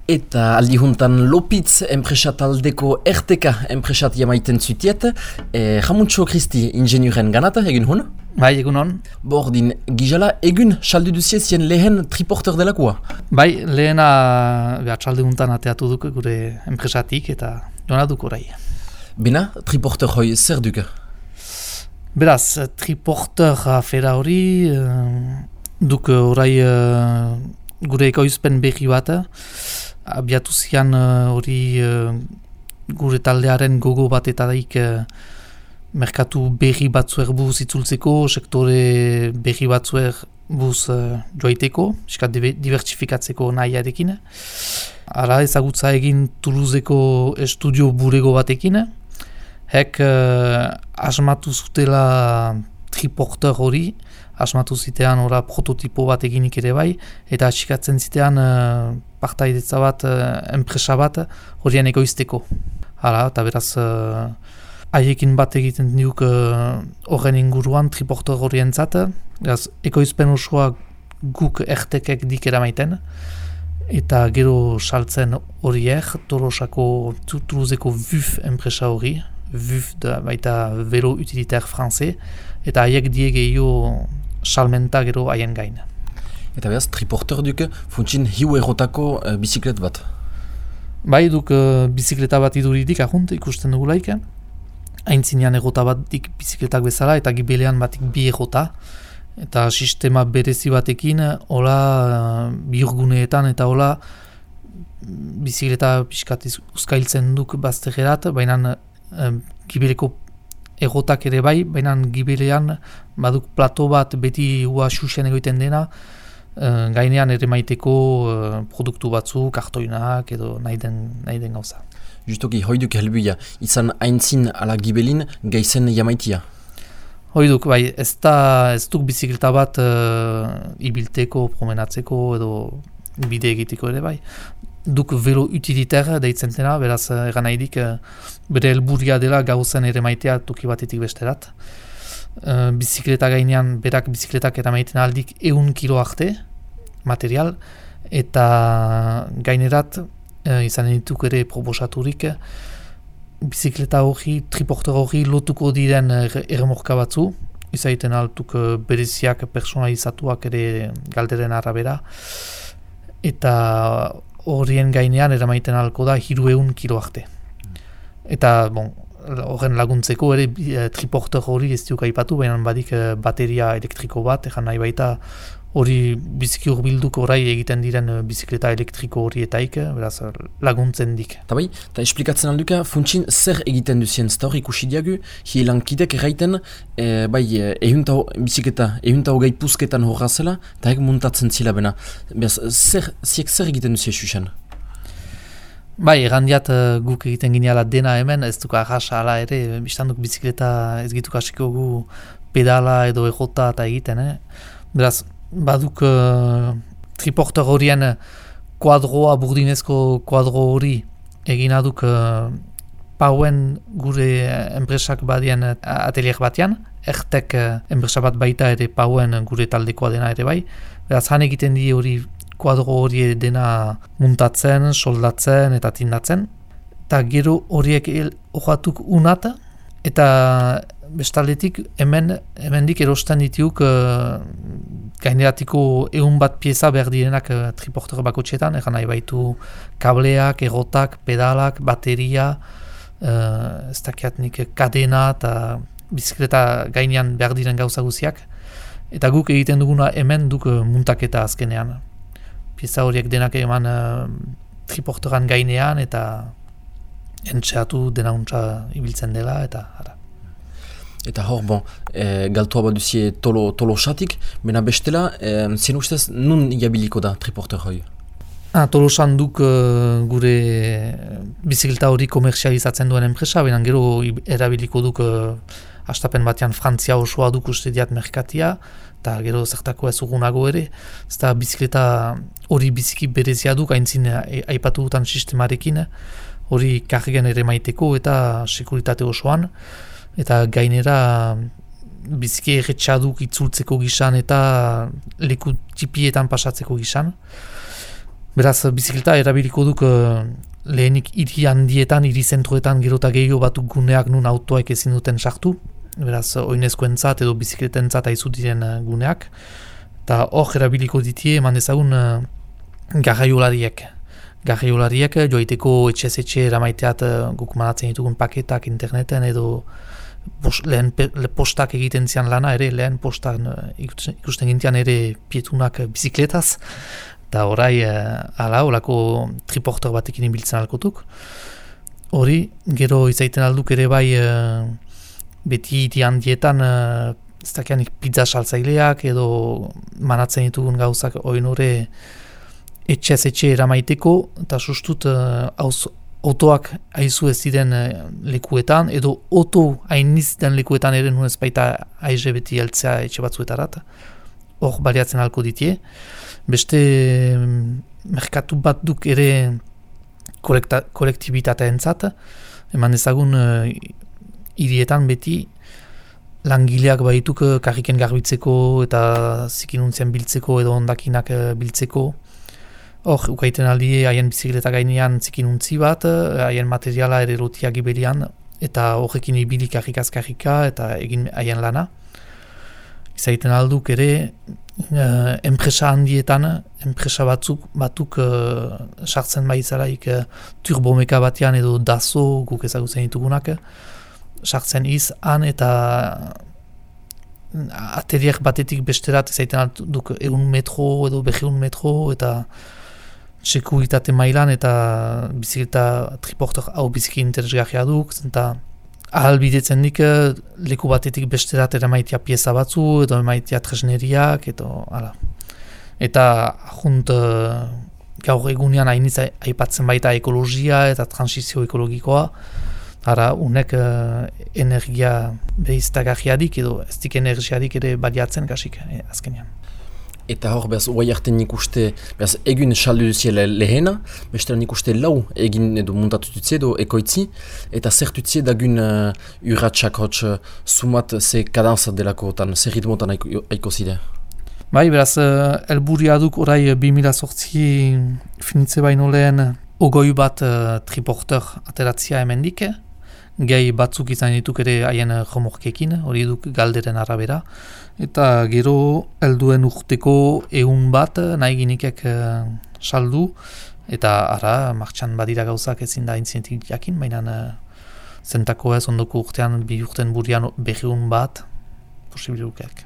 Eta aldi juntan Lopitz enpresa taldeko erteka enpresat jamaiten zutiet. Jamuntxo Kristi ingenuren ganata, egin hon? Bai, egun hon. Bordin, gizala egun saldu duzie zien lehen triporter delakoa? Bai, lehena txalde juntan ateatu duk gure enpresatik eta joan duk orai. Bena, triporter hoi zer duke? Beraz, triporter afera hori duk orai gure ekoizpen berri bat. Abiatu zian hori gure taldearen gogo bat eta daik merkatu berri batzuer buz itzultzeko, sektore berri batzuer buz joaiteko, iskat diversifikatzeko nahiarekin. Ara ezagutza egin Toulouseko estudio burego batekin. Hek asmatu zutela triporter hori, asmatu zitean ora prototipo bat eginik ere bai, eta atxikatzen zitean partaidetza bat, enpresa bat horien ekoizteko. Hala, eta beraz haiekin bat egiten diuk horren inguruan triporter horientzat, beraz ekoizpen osoa guk ertekek dik eramaiten, eta gero saltzen horiek, Tolosako Toulouseko VUF enpresa hori, VUF da baita Vélo Utilitaire Français, eta haiek diegeo salmenta gero haien gain. Eta beraz, triporter duke funtsin hiu errotako biziklet bat? Bai, duk bizikleta bat iduridik ahunt ikusten dugulaik. Aintzinean errota batik bizikletak bezala eta gibelean batik bi errota. Eta sistema berezi batekin, hola bihurguneetan eta hola bizikleta pixkat uzkailtzen duk baztegerat, baina gibeleko errotak ere bai, baina gibelean baduk plato bat beti ua xuxen egoiten dena, gainean ere maiteko produktu batzu, kartoinak edo nahi den gauza. Justoki, hoiduk helbuia, izan aintzin ala gibelin gaizen jamaitia? Hoiduk, bai, ez duk bizikleta bat ibilteko, promenatzeko edo bide egiteko ere bai. Duk Vélo Utilitaire deitzen dena, beraz egan nahidik bere helburia dela gauzen ere maitea toki batetik besterat. Bizikleta gainean berak bizikletak eramaiten aldik 100 kilo arte material, eta gainerat izan dituk ere proposaturik bizikleta hori, triporter hori lotuko diren erremorka batzu, izaiten altuk bereziak personalizatuak ere galderen arabera, eta horien gainean eramaiten alko da 300 kilo arte. Eta, horren laguntzeko ere triporter hori ez diuk aipatu, baina badik bateria elektriko bat, egan nahi baita hori biziki hurbilduko orai egiten diren bizikleta elektriko horietaik, beraz laguntzen dik. Eta bai, eta esplikatzen alduka, funtsin zer egiten duzien zta hori ikusi diagu, hielankidek erraiten, bizikleta, hogei puzketan horra zela, eta eg muntatzen zila bena. Beraz, zer egiten duzien xuxen? Bai, errandiat guk egiten gineala dena hemen, ez duk arrasa ala ere, biztanduk bizikleta ez gitu kasiko gu pedala edo errota eta egiten. Beraz, baduk triporter horien kuadroa, burdinezko kuadro hori egina duk pauen gure enpresak badien atelier batean, ertek enpresa bat baita ere pauen gure taldekoa dena ere bai. Beraz, han egiten die hori kuadro hori dena muntatzen, soldatzen eta tindatzen. Eta gero horiek hojatuk unat, eta bestaldetik hemendik erosten ditiuk gaineratiko 100 bat pieza behar direnak triporter bakotxetan, egan nahi baitu kableak, errotak, pedalak, bateria, ez dakiatnik kadena eta bizikleta gainean behar diren gauza guziak. Eta guk egiten duguna hemen duk muntaketa azkenean. Pieza horiek denak eman triporteran gainean eta entxeatu dena untsa ibiltzen dela eta ara. Eta hor, galtua bat duzie Tolosatik, bena bestela, zien ustez nun jabiliko da triporter hoi? Tolosan duk gure bizikleta hori komerzializatzen duen enpresa, bena gero erabiliko duk hastapen batean Frantzia osoa duk uste diat merkatia, eta gero zertako ez ugunago ere, ezta bizikleta hori biziki berezia duk, haintzin aipatu dutan sistemarekin, hori kargen ere maiteko eta sekuritate osoan, eta gainera biziki erretxaduk itzultzeko gizan eta leku txipietan pasatzeko gizan. Beraz, bizikleta erabiliko duk lehenik hiri handietan, hiri zentroetan gero eta gehiago batuk guneak nun autoek ezin duten sartu. Beraz, oinezkoentzat edo bizikletentzat aizu diren guneak. Eta hor erabiliko ditie eman dezagun garraiolariek. Garraiolariek joaiteko etxez-etxe eramaiteat guk manatzen ditugun paketak interneten edo lehen postak egiten zian lana ere, lehen postak ikusten gintian ere pietunak bizikletaz. Eta orai, horako triporter batekin ibiltzen alkotuk. Hori, gero izaiten alduk ere bai beti iti handietan ez dakianik pizza saltzaileak edo manatzen ditugun gauzak oin hori etxe eramaiteko eta sustut autoak aizu ez diren lekuetan edo auto hainiz den lekuetan ere nuen ez baita aize beti heltzea etxe batzuetarat. Hor baliatzen alko ditie. Beste merkatu bat duk ere kolektibitatea entzat, eman ezagun hirietan beti langileak baituk karriken garbitzeko eta zikinuntzien biltzeko edo ondakinak biltzeko. Hor, ukaiten aldie haien bizikleta gainean zikinuntzi bat, haien materiala ere lotiak iberian, eta horrekin ibili karrika eta egin haien lana. Izaiten alduk ere, enpresa handietan, enpresa batuk sartzen baizalaik turbomeka batean edo dazo guk ezagutzen ditugunak, sartzen han eta ateriak batetik besterat izaiten alduk 100 metro edo 200 metro eta sekuritate mailan eta bizikleta triporter hau biziki interesgarria duk, eta ahalbidetzen dik leku batetik besterat eramaitia pieza batzu edo emaitia tresneriak eta junt gaur egunean hainiz aipatzen baita ekologia eta transizio ekologikoa. Unek energia behiztagarriadik edo ez dik energiadik ere baliatzen gasik azkenean. Eta hor, behaz, oai harten nik uste, behaz, egun saldu duzie lehena, bestean nik uste lau egin edo muntatu dutzie edo ekoitzi, eta zer dutzie dagun urratxak hotz sumat ze kadanza delakotan, ze ritmotan aiko zide? Bai, beraz, elburia duk orai 2008 finitze baino lehen ogoi bat triporter ateratzia hemendik, gehi batzuk izan dituk ere haien jomorkekin, hori duk galderen arabera. Eta gero helduen urteko 100 bat nahi ginikek saldu, eta martxan badira gauzak ezin da intzinetik jakin, baina zentako ez ondoko urtean, 2 urten burian 200 bat posibilukek.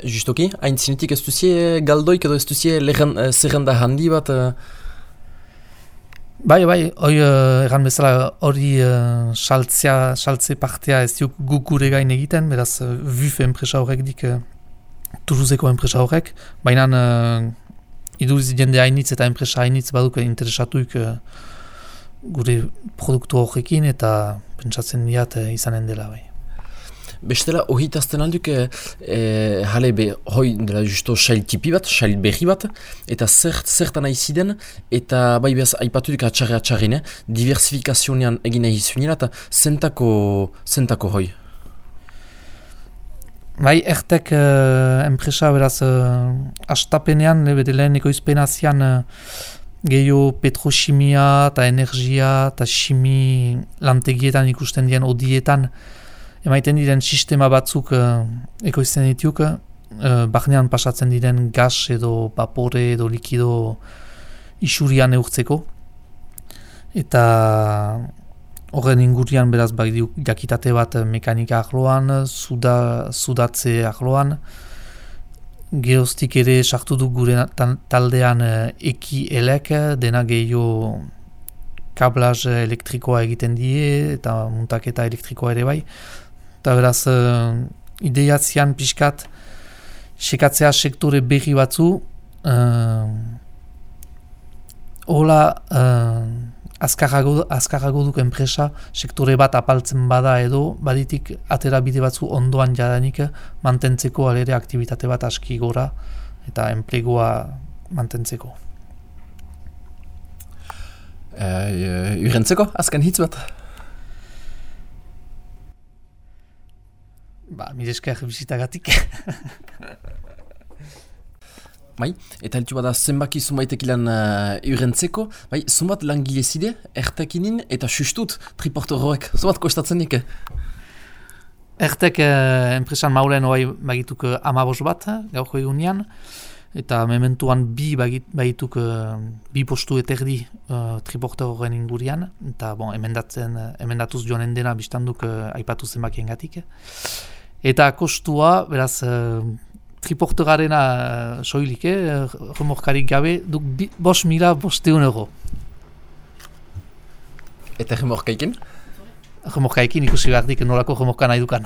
Justoki, haintzinetik ez duzie galdoik edo ez duzie zerrenda handi bat? Bai, hori egan bezala hori saltze partea ez diuk guk gure gain egiten, beraz VUF enpresa horrek dik Toulouseko enpresa horrek, baina iduriz jende hainitz eta enpresa hainitz baduk interesatuik gure produktu horrekin eta pentsatzen diat izanen dela bai. Bestela, ohitazten alduk, jale hoi dela justo sail tipi bat, sail berri bat, eta zertan aiziden, eta bai behaz aipatudik atxarri, diversifikazionean egin egizunien, eta zentako hoi? Bai, ertek enpresa beraz astapenean, lehen ekoizpenazian gehiago petrochimia eta energia eta chimi lantegietan ikusten dien odietan, emaiten diren sistema batzuk ekoizten dituk, barnean pasatzen diren gas edo vapore edo likido isurian eurtzeko. Eta horren ingurian beraz jakitate bat mekanika ahloan, sudatze ahloan. Geroztik ere sartu du gure taldean eki-elek, dena gehiago kablaz elektrikoa egiten die eta muntaketa elektrikoa ere bai. Eta beraz, ideiatzean pixkat, sekatzea sektore berri batzu, hola azkarrago duk enpresa, sektore bat apaltzen bada edo, baditik atera bide batzu ondoan jadanik mantentzeko alere aktibitate bat aski gora eta enplegoa mantentzeko. Urentzeko, azken hitz bat? Mire esker bizitagatik. Bai, eta heltu bada zenbaki zumaitek ilan urentzeko, bai, zumat langilezide, ertekinin eta sustut triportoroek, zumat kostatzen nik? Ertek enpresan maulen oai bagituk 15 bat, gaurko egunean, eta mementuan bagituk bi postu eterdi triportoroen ingurian, eta emendatuz joanen dena biztanduk aipatu zenbakien gatik. Eta kostua, beraz, triporterarena soilik, remorkarik gabe, duk 5.500 euro. Eta remorkaiken? Remorkaikin ikusi behar dik nolako remorka nahi dukan.